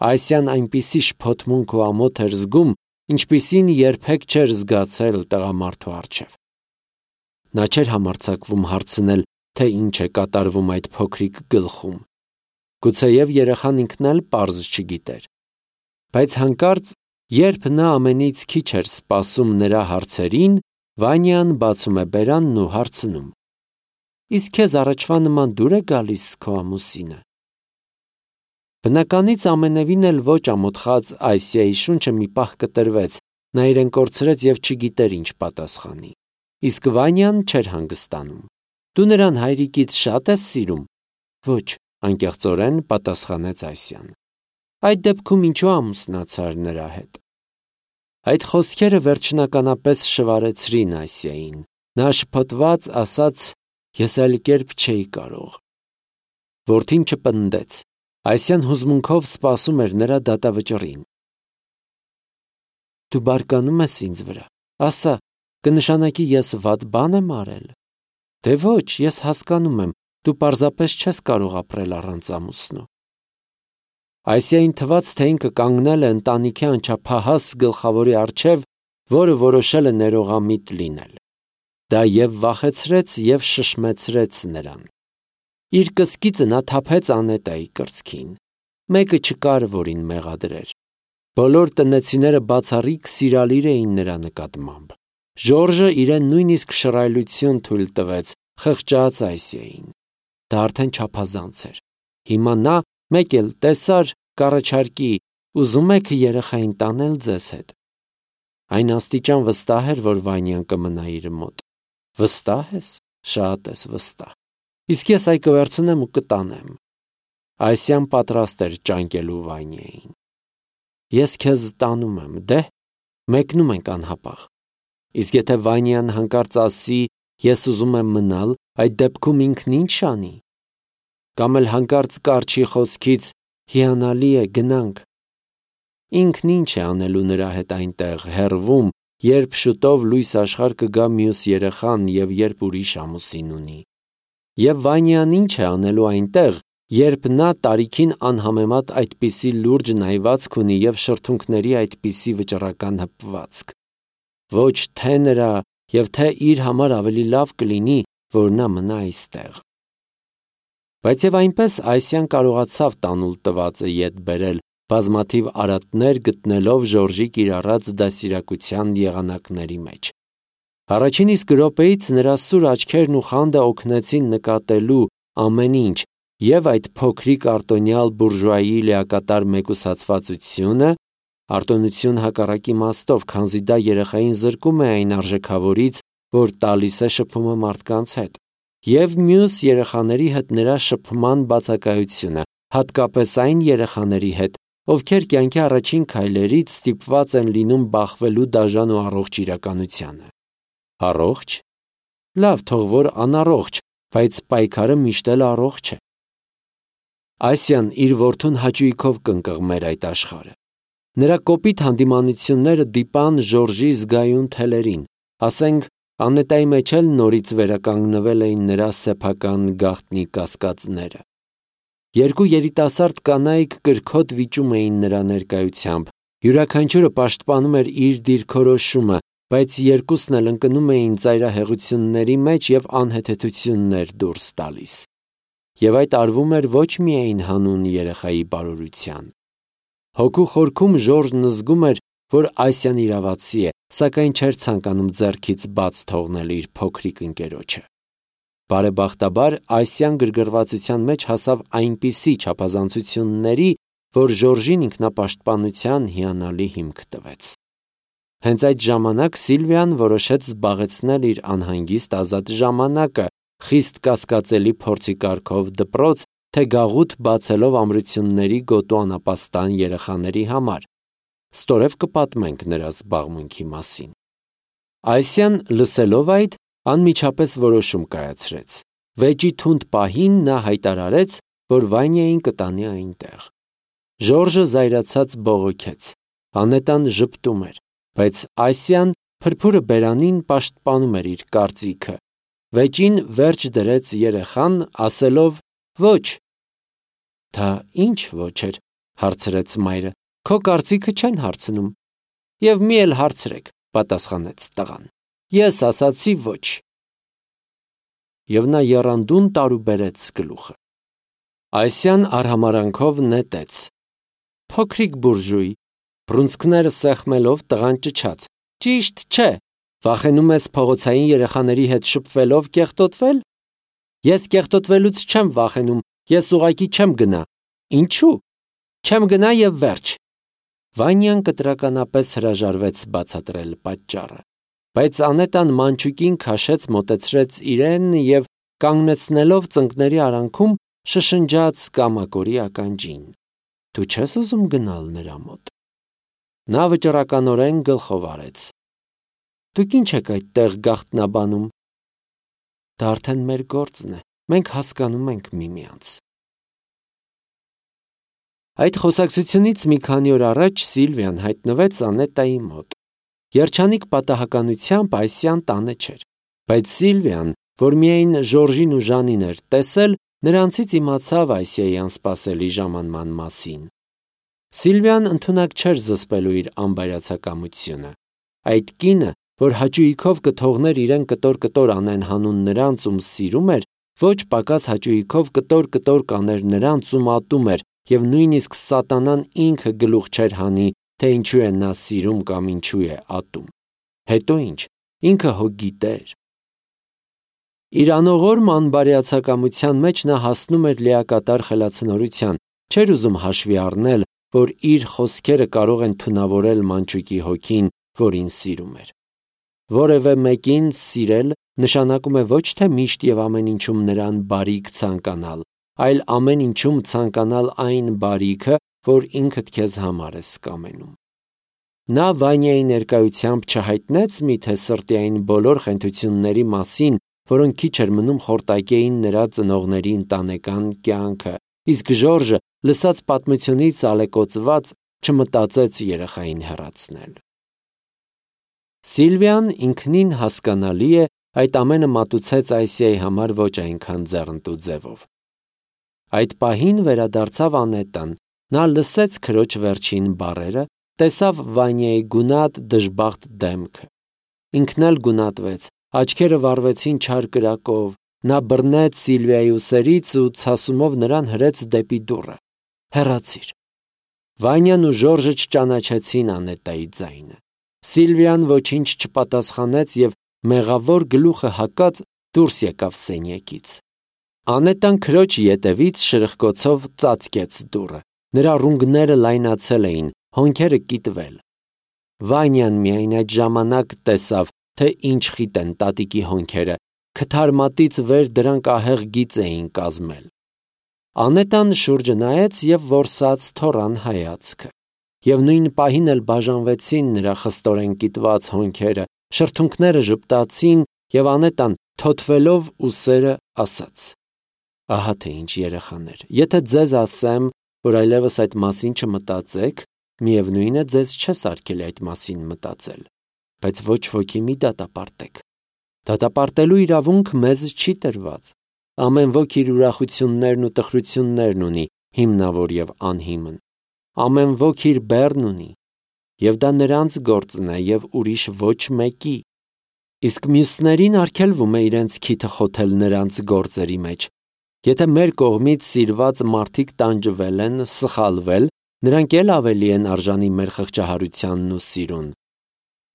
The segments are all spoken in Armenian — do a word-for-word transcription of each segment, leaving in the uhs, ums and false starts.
Այսյան այնպիսի շփոթմունք ու ամոթ էր զգում, ինչպիսին երբեք չէր զգացել տղամարդու առջև։ Նա չէր համարձակվում հարցնել, թե ինչ է կատարվում այդ փոքրիկ գլխում։ Գուցեև երեխան ինքն էլ պարզ չգիտեր։ Բայց հանկարծ, երբ նա ամենից քիչ էր սպասում նրա հարցերին, Վանյան բացում է բերանն ու հարցնում. «Իսկ քեզ առաջվա նման դուր է գալիս քո ամուսինը»։ Բնականից ամենևին էլ ոչ ամոթխած Այսիայի շունչը մի պահ կտրվեց, նա իրեն կորցրեց և չգիտեր ինչ պատասխանի։ Իսկ Վանյան չէր հանգստանում։ «Դու նրան հայրիկից շատ ես սիրում»։ «Ոչ», անկեղծորեն պատասխանեց Այսյան։ «Այդ դեպքում ինչու ամուսնացար նրա հետ»։ Այդ խոսքերը վերջնականապես շվարեցրին Այսիային։ Նա շփոթված ասաց. «Ես այլ կերպ չէի կարող»։ Որդին չպնդեց։ Այսյան հուզմունքով սպասում էր նրա դատավճռին։ «Դու բարկանում ես ինձ վրա, ասա, կնշանակի ես վատ բան եմ արել»։ «Դե ոչ, ես հասկանում եմ, դու պարզապես չես կարող ապրել առանց ամուսնու»։ Այսիային թվաց, թե ինքը կանգնել է ընտանիքի անչափահաս գլխավորի առջև, որը որոշել է ներողամիտ լինել։ Դա և վախեցրեց, և շշմեցրեց նրան։ Իր կսկիծը նա թափեց Անետայի կրծքին։ Մեկը չկար, որին մեղադրեր։ Բոլոր տնեցիները բացառիկ սիրալիր էին նրա նկատմամբ։ Ժորժը իրեն նույնիսկ շռայլություն թույլ տվեց, խղճաց Այսիային։ Դա արդեն չափազանց էր։ Հիմա նա մեկ էլ տեսար, կառաջարկի. «Ուզում եք երեխային տանել ձեզ հետ»։ Այն աստիճան վստահ էր, որ Վանյան կմնա իր մոտ։ «Վստահ ես»։ «Շատ ես վստահ»։ «Իսկ ես այ կվերցնեմ ու կտանեմ»։ Այսյան պատրաստ էր ճանկելու Վանյային։ «Ես քեզ տանում եմ, դե՞։ Մեկնում ենք անհապաղ»։ Իսկ եթե Վանյան հանկարծ ասի. «Ես ուզում եմ մնալ», այդ դեպքում ինքն ինչ անի։ Կամ էլ հանկարծ կառչի խոսքից. «Հիանալի է, գնանք»։ Ինքն ինչ է անելու նրա հետ այնտեղ, հեռվում, երբ շուտով լույս աշխարհ կգա մյուս երեխան և երբ ուրիշ ամուսին ունի։ Եվ Վանյան ինչ է անելու այնտեղ, երբ նա տարիքին անհամեմատ այդպիսի լուրջ նայվածք ունի և շրթունքների այդպիսի վճռական հպվածք։ Ոչ թե նրա և թե իր համար ավելի լավ կլինի, որ նա մնա այստեղ։ Բայց և այնպես Այսյան կարողացավ տանուլ տվածը ետ բերել, բազմաթիվ արատներ գտնելով Ժորժի կիրառած դաստիարակության եղանակների մեջ։ Առաջին իսկ րոպեից նրա սուր աչքերն ու խանդը օգնեցին նկատելու ամեն ինչ, և այդ փոքրիկ արտոնյալ բուրժուայի լիակատար մեկուսացվածությունը, արտոնություն հակառակ իմաստով, քանզի դա երեխային զրկում է այն արժեքավորից, որ տալիս է շփումը մարդկանց հետ, և մյուս երեխաների հետ նրա շփման բացակայությունը, հատկապես այն երեխաների հետ, ովքեր կյանքի առաջին քայլերից ստիպված են լինում բախվելու դաժան ու առողջ իրականությանը։ Առողջ։ Լավ, թող որ անառողջ, բայց պայքարը միշտ էլ առողջ է։ Այսյան իր որդուն հաճույքով կընկղմեր այդ աշխարհը։ Նրա կոպիտ հանդիմանությունները դիպան Ժորժի զգայուն թելերին, ասենք, Անետայի մեջ էլ նորից վերականգնվել էին նրա սեփական գաղտնի կասկածները։ Երկու երիտասարդ կանայք կրքոտ վիճում էին նրա ներկայությամբ, յուրաքանչյուրը պաշտպանում էր իր դիրքորոշումը, բայց երկուսն էլ ընկնում էին ծայրահեղությունների մեջ և անհեթեթություններ դուրս տալիս։ Եվ այդ արվում էր ոչ միայն հանուն երեխայի բարօրության։ Հոգու խորքում Ժորժն զգում էր, որ Այսյան իրավացի է, սակայն չէր ցանկանում ձեռքից բաց թողնել իր փոքրիկ ընկերոջը։ Բարեբախտաբար Այսյան գրգռվածության մեջ հասավ այնպիսի չափազանցությունների, որ Ժորժին ինքնապաշտպանության հիանալի հիմք տվեց։ Հենց այդ ժամանակ Սիլվիան որոշեց զբաղեցնել իր անհանգիստ ազատ ժամանակը, խիստ կասկածելի փորձի կարգով դպրոց, թե գաղութ բացելով ամրությունների գոտու անապաստան երեխաների համար։ Ստորև կպատմենք նրա զբաղմունքի մասին։ Այսյան, լսելով այդ, անմիջապես որոշում կայացրեց։ Վեճի թունդ պահին նա հայտարարեց, որ Վանյային կտանի այնտեղ։ Ժորժը զայրացած բողոքեց։ Անետան ժպտում էր, բայց Այսյան փրփուրը բերանին պաշտպանում էր իր կարծիքը։ Վեճին վերջ դրեց երեխան, ասելով. «Ոչ»։ Դա ինչ ոչ էր, հարցրեց մայրը։ Քո կարծիքը չեն հարցնում։ Եվ մի էլ հարցրեք, պատասխանեց տղան։ Ես ասացի ոչ։ Եվ նա եռանդուն տարուբերեց գլուխը։ Այսյան արհամարանքով նետեց։ Փոքրիկ բուրժուй, բռունցքները սեղմելով տղան ճչաց։ Ճիշտ չէ, վախենում ես փողոցային երեխաների հետ շփվելով կեղտոտվել։ Ես կեղտոտվելուց չեմ վախենում, ես ուղղակի չեմ գնա։ Ինչու՞։ Չեմ գնա եւ վերջ։ Վանյան կտրականապես հրաժարվեց բացատրել պատճառը, բայց Անետան մանչուկին քաշեց, մոտեցրեց իրեն եւ կանգնեցնելով ծնկների արանքում շշնջաց կամակորի ականջին. Դու չես ուզում գնալ նրա մոտ։ Նա վճռականորեն գլխով արեց։ Դուք ինչ եք այդտեղ գաղտնաբանում։ Դա արդեն մեր գործն է, մենք հասկանում ենք միմյանց։ Այդ խոսակցությունից մի քանի օր առաջ Սիլվիան հայտնվեց Անետայի մոտ։ Երջանիկ պատահականությամբ Այսյան տանը չէր, բայց Սիլվիան, որ միայն Ժորժին ու Ժանին էր տեսել, նրանցից իմացավ Այսիայի անսպասելի ժամանման մասին։ Սիլվիան ընդունակ չէր զսպելու իր անբայրացակամությունը։ Այդ կինը, որ հաճույքով կթողներ իրեն կտոր-կտոր անեն հանուն նրանց, ում սիրում էր, ոչ պակաս հաճույքով կտոր-կտոր կաներ նրանց, ում ատում էր, եւ նույնիսկ սատանան ինքը գլուխ չէր հանի, թե ինչու է նա սիրում կամ ինչու է ատում։ Հետո ինչ, ինքը հո գիտեր։ Իր անողորմ անբարյացակամության մեջ նա հասնում էր լիակատար խելացնորության, չէր ուզում հաշվի առնել, որ իր խոսքերը կարող են թունավորել մանչուկի հոգին, որին սիրում էր։ Որևէ մեկին սիրել նշանակում է ոչ թե միշտ եւ ամեն ինչում նրան բարիք ցանկանալ, այլ ամեն ինչում ցանկանալ այն բարիքը, որ ինքդ քեզ համար ես կամենում։ Նա Վանյայի ներկայությամբ չհայտնեց միթե սրտի այն բոլոր խենթությունների մասին, որոնք քիչ էր մնում խորտակեին նրա ծնողների ընտանեկան կյանքը, իսկ Ժորժը, լսած պատմությունից ալեկոծված, չմտածեց երեխային հեռացնել։ Սիլվիան ինքնին հասկանալի է, այդ ամենը մատուցեց Այսիայի համար ոչ այնքան ձեռնտու ձևով։ Այդ պահին վերադարձավ Անետան, նա լսեց քրոջ վերջին բառերը, տեսավ Վանյայի գունատ դժբախտ դեմքը։ Ինքն էլ գունատվեց, աչքերը վառվեցին չար կրակով, նա բռնեց Սիլվիայի ուսերից ու ցասումով նրան հրեց դեպի դուռը։ Հեռացիր։ Վանյան ու Ժորժը չճանաչեցին Անետայի ձայնը։ Սիլվիան ոչինչ չպատասխանեց եւ մեղավոր գլուխը հակած դուրս եկավ սենյակից։ Անետան քրոջ ետևից շրխկոցով ծածկեց դուռը։ Նրա ռունգները լայնացել էին, հոնքերը կիտվել։ Վանյան միայն այդ ժամանակ տեսավ, թե ինչ խիտ են տատիկի հոնքերը, քթարմատից վեր դրանք ահեղ գիծ էին կազմել։ Անետան շուրջը նայեց եւ որսաց թորան հայացքը։ Եվ նույն պահին էլ բաժանվեցին նրա խստորեն կիտված հոնքերը, շրթունքները ժպտացին եւ Անետան թոթվելով ուսերը ասաց. Ահա թե ինչ երեխաներ, եթե ձեզ ասեմ, որ այլևս այդ մասին չմտածեք, միևնույն է ձեզ չես արգելի այդ մասին մտածել, բայց ոչ ոքի մի դատապարտեք։ Դատապարտելու իրավունք մեզ չի տրված։ Ամեն ոք իր ուրախություններն ու տխրություններն ունի, հիմնավոր եւ անհիմն։ Ամեն ոք իր բեռն ունի, եւ դա նրանց գործն է եւ ուրիշ ոչ մեկի։ Իսկ մյուսներին արգելվում է իրենց քիթը խոթել նրանց գործերի մեջ։ Եթե մեր կողմից սիրված մարդիկ տանջվել են, սխալվել, նրանք էլ ավելի են արժանի մեր խղճահարությանն ու սիրուն։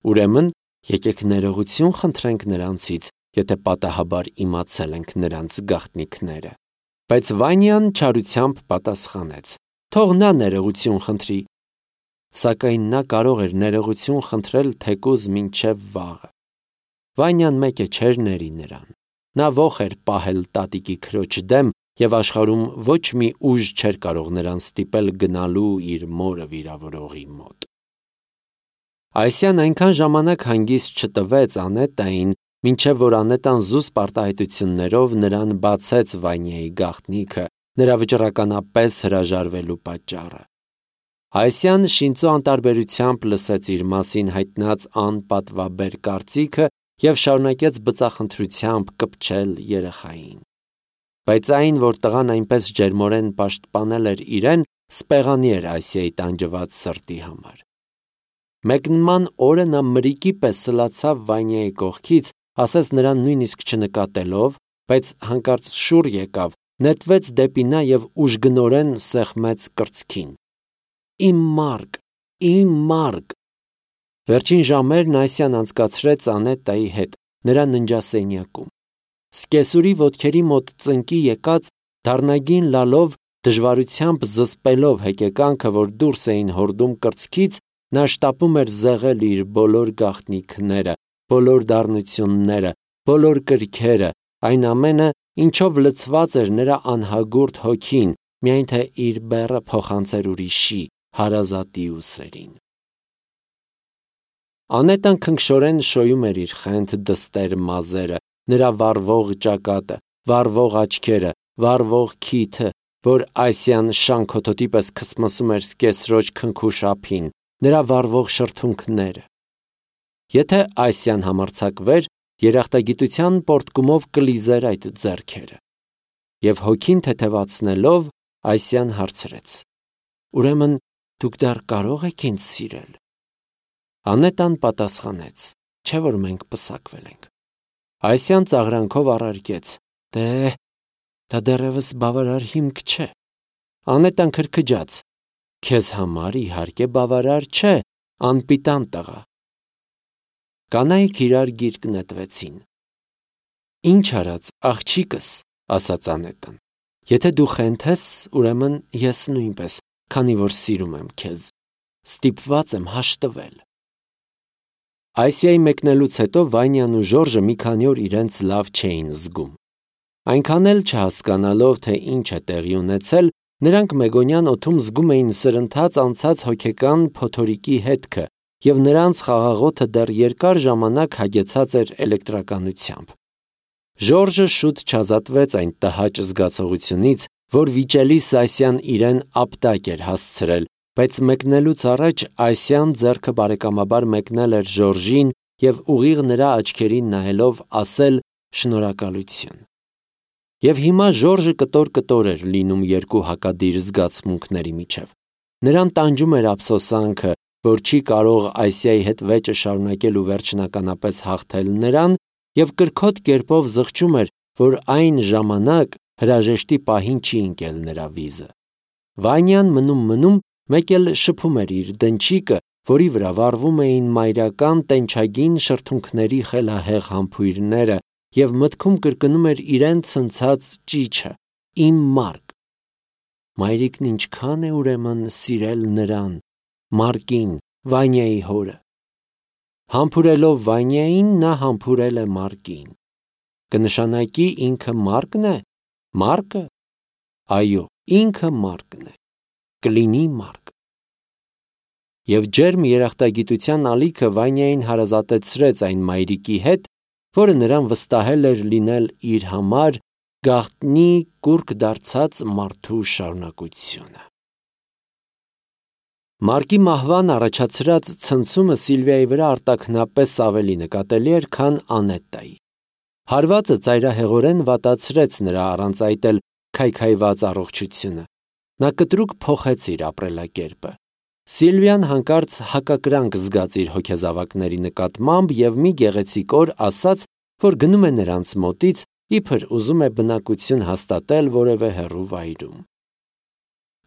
Ուրեմն, եկեք ներողություն խնդրենք նրանցից, եթե պատահաբար իմացել ենք նրանց գաղտնիքները։ Բայց Վանյան չարությամբ պատասխանեց. Թող նա ներողություն խնդրի։ Սակայն նա կարող էր ներողություն խնդրել թեկուզ մինչև վաղը։ Վանյան մեկը չէր ների նրան։ Նա ոխ էր պահել տատիկի քրոջ դեմ եւ աշխարհում ոչ մի ուժ չէր կարող նրան ստիպել գնալու իր մորը վիրավորողի մոտ։ Այսյան այնքան ժամանակ հանգիստ չտվեց Անետային, մինչև որ Անետան զուսպ արտահայտություններով նրան բացեց Վանյայի գաղտնիքը, նրա վճռականապես հրաժարվելու պատճառը։ Այսյան շինծու անտարբերությամբ լսեց իր մասին հայտնած անպատվաբեր կարծիքը եւ շարունակեց բծախնդրությամբ կպչել երեխային։ Բայց այն, որ տղան այնպես ջերմորեն պաշտպանել էր իրեն, սպեղանի էր Ասիայի տանջված սրտի համար։ Մեկնման օրը նա մրիկի պես սլացավ Վանյայի կողքից, ասես նրան նույնիսկ չնկատելով, բայց հանկարծ շուռ եկավ, նետվեց դեպի նա և ուժգնորեն սեղմեց կրծքին։ Իմ Մարկ, իմ Մարկ։ Վերջին ժամերն Ասիան անցկացրեց Անետայի հետ, նրա ննջասենյակում։ Սկեսուրի ոտքերի մոտ ծնկի եկած, դառնագին լալով, դժվարությամբ զսպելով հեկեկանքը, որ դուրս էին հորդում կրծքից, նա շտապում էր զեղել իր բոլոր գաղտնիքները, բոլոր դառնությունները, բոլոր կրքերը, այն ամենը, ինչով լցված էր նրա անհագուրդ հոգին, միայն թե իր բեռը փոխանցեր ուրիշի, հարազատի ուսերին։ Անետան քնքշորեն շոյում էր իր խենթ դստեր մազերը, նրա վառվող ճակատը, վառվող աչքերը, վառվող քիթը, որ Ասիան շանքոթոտի պես քսմսում էր սկեսրոջ քնքուշ ափին, նրա վառվող շրթունքները։ Եթե Ասիան համարձակվեր, երախտագիտության պորտկումով կլիզեր այդ ձեռքերը։ Եվ հոգին թեթևացնելով, Ասիան հարցրեց. Ուրեմն դուք դեռ կարող եք ինձ սիրել։ Անետան պատասխանեց. չէ՞ որ մենք պսակվել ենք։ Ասիան ծաղրանքով առարկեց. Դե, դա դեռևս բավարար հիմք չէ։ Անետան քրքջաց. Քեզ համար իհարկե բավարար չէ, անպիտան տղա։ Կանայք իրար գիրկ նետվեցին։ Ինչ արած, աղջիկս, ասաց Անետան։ Եթե դու խենթ ես, ուրեմն ես նույնպես, քանի որ սիրում եմ քեզ։ Ստիպված եմ հաշտվել։ Ասիայի մեկնելուց հետո Վանյան ու Ժորժը մի քանի օր իրենց լավ չէին զգում։ Այնքան էլ չհասկանալով, թե ինչ է տեղի ունեցել, նրանք Մեգոնյան օդում զգում էին սրընթաց անցած հոգեկան փոթորիկի հետքը, և նրանց խաղաղոթը դեռ երկար ժամանակ հագեցած էր էլեկտրականությամբ։ Ժորժը շուտ չազատվեց այն տհաճ զգացողությունից, որ վիճելի Ասիան իրեն ապտակ էր հասցրել, բայց մեկնելուց առաջ Ասիան ձեռքը բարեկամաբար մեկնել էր Ժորժին և ուղիղ նրա աչքերին նայելով ասել շնորհակալություն։ Եվ հիմա Ժորժը կտոր-կտոր էր լինում երկու հակադիր զգացմունքների միջև։ Նրան տանջում էր ափսոսանքը, որ չի կարող Ասիայի հետ վեճը շարունակել ու վերջնականապես հաղթել նրան, և կրքոտ կերպով զղջում էր, որ այն ժամանակ հրաժեշտի պահին չի ընկել նրա վիզը։ Վանյան մնում-մնում մեկ էլ շփում էր իր դնչիկը, որի վրա վառվում էին մայրական տենչագին շրթունքների խելահեղ համբույրները, և մտքում կրկնում էր իրեն ցնցած ճիչը. Իմ Մարկ։ Մայրիկն ինչքան է ուրեմն սիրել նրան, Մարկին, Վանյայի հորը։ Համբուրելով Վանյային, նա համբուրել է Մարկին։ Կնշանակի ինքը Մարկն է։ Մարկը։ Այո, ինքը Մարկն է։ Կլինի Մարկ։ Եվ ջերմ երախտագիտության ալիքը Վանյային հարազատեցրեց այն մայրիկի հետ, որը նրան վստահել էր լինել իր համար գաղտնի կուռք դարձած մարդու շարունակությունը։ Մարկի մահվան առաջացրած ցնցումը Սիլվիայի վրա արտաքնապես ավելի նկատելի էր, քան Անետայի։ Հարվածը ծայրահեղորեն վատացրեց նրա առանց այդ էլ քայքայված առողջությունը։ Նա կտրուկ փոխեց իր ապրելակերպը։ Սիլվիան հանկարծ հակակրանք զգաց իր հոգեզավակների նկատմամբ և մի գեղեցիկ օր ասաց, որ գնում է նրանց մոտից, իբր ուզում է բնակություն հաստատել որևէ հեռու վայրում։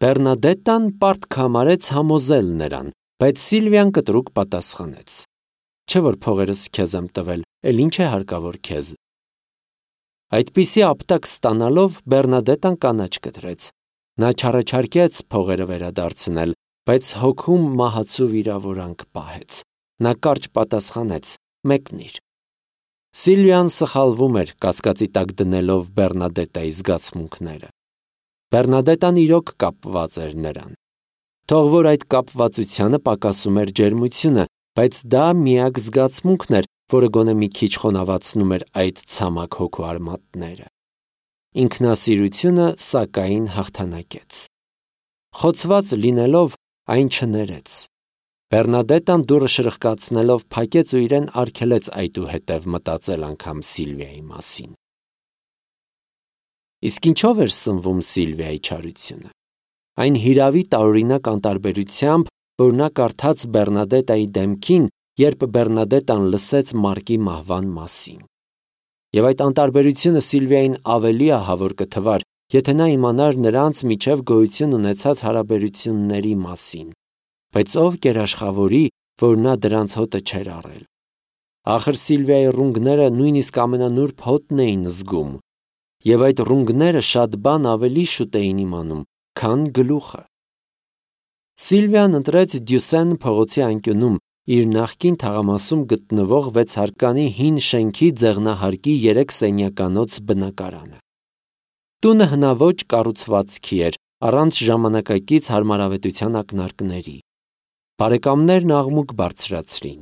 Բեռնադետտան պարտք համարեց համոզել նրան, բայց Սիլվիան կտրուկ պատասխանեց. Չէ՞ որ փողերս քեզ եմ տվել, էլ ինչ է հարկավոր քեզ։ Այդպիսի ապտակ ստանալով Բեռնադետտան կանաչ կտրեց։ Նա չառաջարկեց փողերը վերադարձնել, բայց հոգում մահացու վիրավորանք պահեց։ Նա կարճ պատասխանեց. մեկնիր։ Սիլվիան սխալվում էր, կասկածի տակ դնելով Բեռնադետտայի զգացմունքները։ Բեռնադետտան իրոք կապված էր նրան։ Թող որ այդ կապվածությանը պակասում էր ջերմությունը, բայց դա միակ զգացմունքն էր, որը գոնե մի քիչ խոնավացնում էր այդ ցամաք հոգու արմատները։ Ինքնասիրությունը, սակայն, հաղթանակեց։ Խոցված լինելով, այն չներեց։ Բեռնադետտան դուռը շրխկացնելով փակեց ու իրեն արգելեց այդուհետև մտածել անգամ Սիլվիայի մասին։ Իսկ ինչով էր սնվում Սիլվիայի չարությունը։ այն հիրավի տարօրինակ անտարբերությամբ, որ նա կարդաց Բեռնադետայի դեմքին, երբ Բեռնադետան լսեց Մարկի մահվան մասին։ Եվ այդ անտարբերությունը Սիլվիային ավելի ահավոր կթվար, եթե նա իմանար նրանց միջև գոյություն ունեցած հարաբերությունների մասին, բայց ով կերաշխավորի, որ նա դրանց հոտը չէր առել։ Ախր Սիլվիայի ռունգները նույնիսկ ամենանուրբ հոտն էին զգում, եւ այդ ռունգները շատ բան ավելի շուտ էին իմանում, քան գլուխը։ Սիլվիան ընտրեց Դյուսեն փողոցի անկյունում իր նախկին թաղամասում գտնվող վեցհարկանի հին շենքի ձեղնահարկի երեք սենյականոց բնակարանը։ Տունը հնաոճ կառուցվածքի էր, առանց ժամանակակից հարմարավետության ակնարկների։ Բարեկամներն աղմուկ բարձրացրին։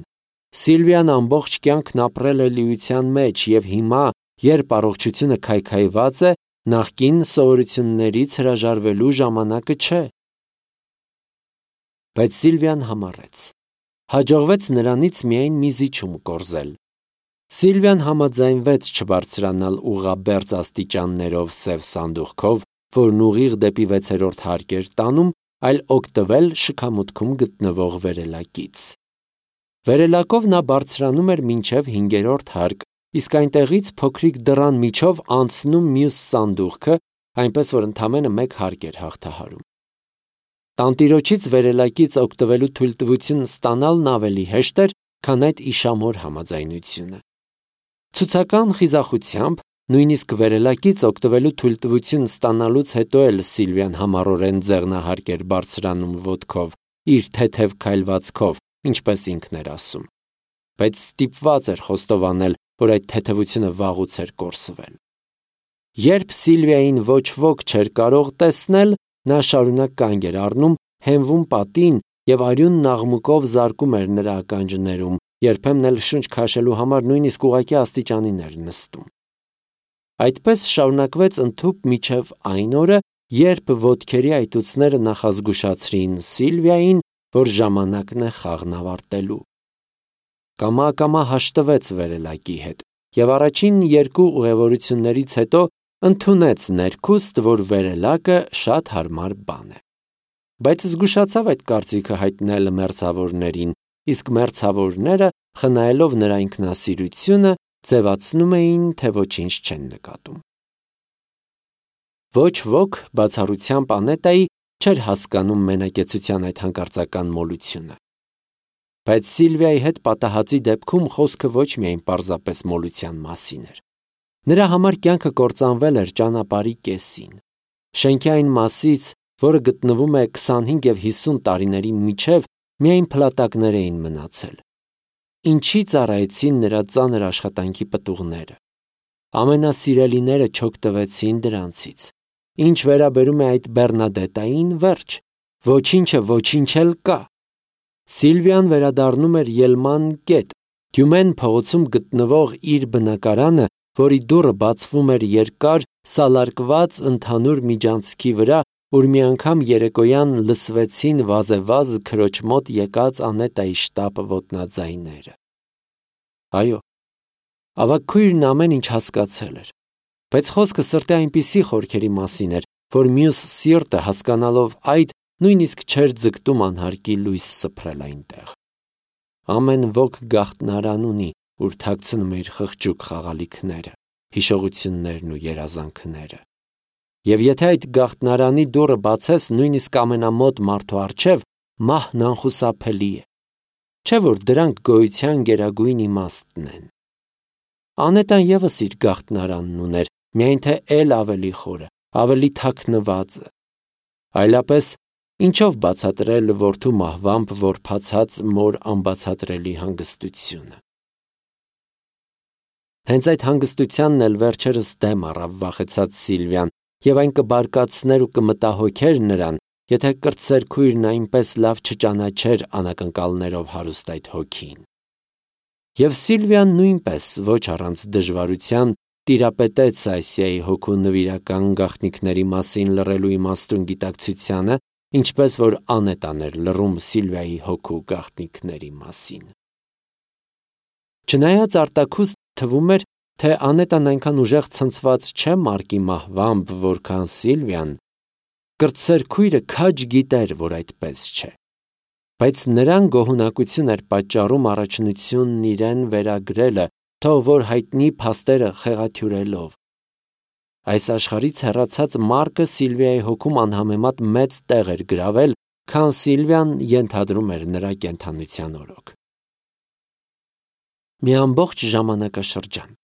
Սիլվիան ամբողջ կյանքն ապրել է լիության մեջ եւ հիմա, երբ առողջությունը քայքայված է, նախկին սովորություններից հրաժարվելու ժամանակը չէ։ Բայց Սիլվիան համառեց։ Հաջողվեց նրանից միայն մի զիջում կորզել։ Սիլվիան համաձայնվեց չբարձրանալ ուղղաբերձ աստիճաններով սև սանդուղքով, որն ուղիղ դեպի վեցերորդ հարկ էր տանում, այլ օգտվել շքամուտքում գտնվող վերելակից։ Վերելակով նա բարձրանում էր մինչև հինգերորդ հարկ, իսկ այնտեղից փոքրիկ դռան միջով անցնում մյուս սանդուղքը, այնպես որ ընդամենը մեկ հարկ էր հաղթահարում։ Տանտիրոջից վերելակից օգտվելու թույլտվություն ստանալն ավելի հեշտ էր, քան այդ իշամոր համաձայնությունը։ Ցուցական խիզախությամբ, նույնիսկ վերելակից օգտվելու թույլտվություն ստանալուց հետո էլ Սիլվիան համառորեն ձեղնահարկ էր բարձրանում ոտքով, իր թեթև քայլվածքով, ինչպես ինքն էր ասում։ Բայց ստիպված էր խոստովանել, որ այդ թեթևությունը վաղուց էր կորսվել։ Երբ Սիլվիային ոչ ոք չէր կարող տեսնել, նա շարունակ կանգ էր առնում, հենվում պատին եւ արյունն աղմուկով զարկում էր նրա ականջներում, երբեմն էլ շունչ քաշելու համար նույնիսկ ուղղակի աստիճանին էր նստում։ Այդպես շարունակվեց ընդհուպ մինչև այն օրը, երբ ոտքերի այտուցները նախազգուշացրին Սիլվիային, որ ժամանակն է խաղն ավարտելու։ Կամա-կամա հաշտվեց վերելակի հետ եւ առաջին երկու ուղևորություններից հետո ընդունեց ներքուստ, որ վերելակը շատ հարմար բան է։ Բայց զգուշացավ այդ կարծիքը հայտնել մերձավորներին, իսկ մերձավորները, խնայելով նրա ինքնասիրությունը, ձևացնում էին, թե ոչինչ չեն նկատում։ Ոչ ոք, բացառությամբ Անետայի, չէր հասկանում մենակեցության այդ հանկարծական մոլությունը։ Բայց Սիլվիայի հետ պատահածի դեպքում խոսքը ոչ միայն պարզապես մոլության մասին էր։ Նրա համար կյանքը կործանվել էր ճանապարհի կեսին։ Շենքի այն մասից, որը գտնվում է քսանհինգ եւ հիսուն տարիների միջև, միայն փլատակներ էին մնացել։ Ինչի ծառայեցին նրա ծանր աշխատանքի պտուղները։ Ամենասիրելիները չօգտվեցին դրանցից։ Ինչ վերաբերում է այդ Բեռնադետային, վերջ, ոչինչը ոչինչ էլ կա։ Սիլվիան վերադառնում էր ելման կետ, Դյումեն փողոցում գտնվող իր բնակարանը, որի դուռը բացվում էր երկար, սալարկված ընդհանուր միջանցքի վրա, որ մի անգամ երեկոյան լսվեցին վազեվազ քրոջ մոտ եկած Անետայի շտապ ոտնաձայները։ Այո, ավագ քույրն ամեն ինչ հասկացել էր, բայց խոսքը սրտի այնպիսի խորքերի մասին էր, որ մյուս սիրտը հասկանալով այդ, նույնիսկ չէր ձգտում անհարկի լույս սփռել այնտեղ։ Ամեն ոք գաղտնարան ունի, ուր թաքցնում է իր խղճուկ խաղալիքները, հիշողություններն ու երազանքները։ Եվ եթե այդ գաղտնարանի դուռը բացես նույնիսկ ամենամոտ մարդու առջև, մահն անխուսափելի է։ Չէ՞ որ դրանք գոյության գերագույն իմաստն են։ Անետան ևս իր գաղտնարանն ուներ, միայն թե էլ ավելի խորը, ավելի թաքնվածը։ Այլապես ինչով բացատրել որդու մահվամբ որբացած մոր անբացատրելի հանգստությունը։ Հենց այդ հանգստությանն էլ վերջերս դեմ առավ վախեցած Սիլվիան, եւ այն կբարկացներ ու կմտահոգեր նրան, եթե կրտսեր քույրն այնպես լավ չճանաչեր անակնկալներով հարուստ այդ հոգին։ Եվ Սիլվիան նույնպես ոչ առանց դժվարության տիրապետեց Ասիայի հոգու նվիրական գաղտնիքների մասին լռելու իմաստուն գիտակցությանը, ինչպես որ Անետան էր լռում Սիլվիայի հոգու գաղտնիքների մասին։ Չնայած արտաքուստ թվում էր, թե Անետան այնքան ուժեղ ցնցված չէ Մարկի մահվամբ, որքան Սիլվիան, Կրտսեր քույրը քաջ գիտեր, որ այդպես չէ, բայց նրան գոհունակություն էր պատճառում առաջնությունն իրեն վերագրելը, թող որ հայտնի փաստերը խեղաթյուրելով։ Այս աշխարհից հեռացած Մարկը Սիլվիայի հոգում անհամեմատ մեծ տեղ էր գրավել, քան Սիլվիան ենթադրում էր նրա կենդանության օրոք։ Մի ամբողջ ժամանակաշրջան։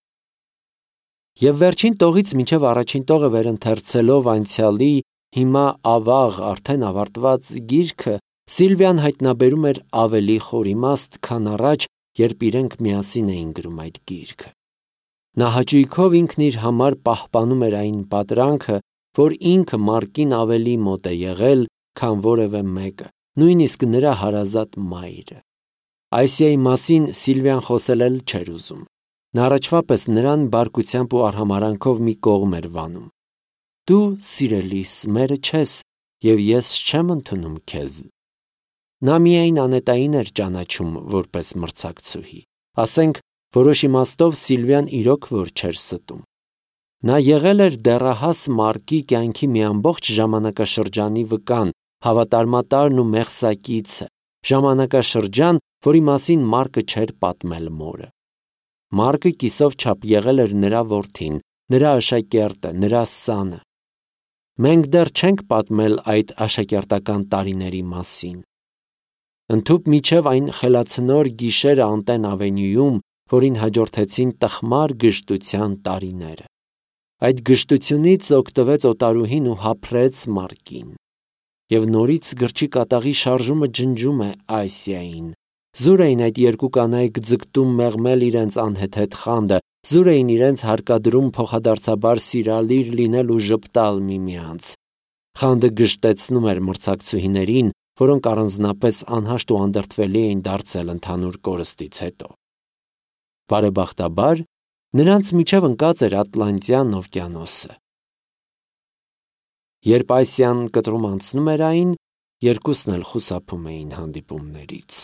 Եվ վերջին տողից մինչև առաջին տողը վերընթերցելով անցյալի, հիմա ավաղ արդեն ավարտված գիրքը, Սիլվիան հայտնաբերում էր ավելի խոր իմաստ, քան առաջ, երբ իրենք միասին էին գրում այդ գիրքը։ Նա հաճույքով ինքն իր համար պահպանում էր այն պատրանքը, որ ինքը Մարկին ավելի մոտ է եղել, քան որևէ մեկը, նույնիսկ նրա հարազատ մայրը։ Այսիայի մասին Սիլվիան խոսել էլ չէր ուզում։ Նա առաջվա պես նրան բարկությամբ ու արհամարանքով մի կողմ էր վանում։ Դու, սիրելիս, մերը չես, և ես չեմ ընդունում քեզ։ Նա միայն անետային էր ճանաչում որպես մրցակցուհի։ Ասենք, որոշ իմաստով Սիլվիան իրոք որ չէր ստում։ Նա եղել էր դեռահաս Մարկի կյանքի մի ամբողջ ժամանակաշրջանի վկան, հավատարմատարն ու մեղսակիցը, ժամանակաշրջան, որի մասին Մարկը չէր պատմել մորը։ Մարկը կիսով չափ եղել էր նրա որդին, նրա աշակերտը, նրա սանը։ Մենք դեռ չենք պատմել այդ աշակերտական տարիների մասին։ Ընդհուպ մինչև այն խելացնոր գիշերը Անտեն ավենյուում, որին հաջորդեցին տխմար գժտության տարիները։ Այդ գժտությունից օգտվեց օտարուհին ու հափրեց Մարկին։ Եվ նորից գրչի կատաղի շարժումը ջնջում է Ասիային։ Զուր էին այդ երկու կանայք ձգտում մեղմել իրենց անհեթեթ խանդը, զուր էին իրենց հարկադրում փոխադարձաբար սիրալիր լինել ու ժպտալ միմյանց։ Խանդը գժտեցնում էր մրցակցուհիներին, որոնք առանձնապես անհաշտ ու անդրդվելի էին դարձել ընդհանուր կորստից հետո։ Բարեբախտաբար, նրանց միջև ընկած էր Ատլանտյան օվկիանոսը։ Երբ Ասիան կտրում անցնում էր այն, երկուսն էլ խուսափում էին հանդիպումներից։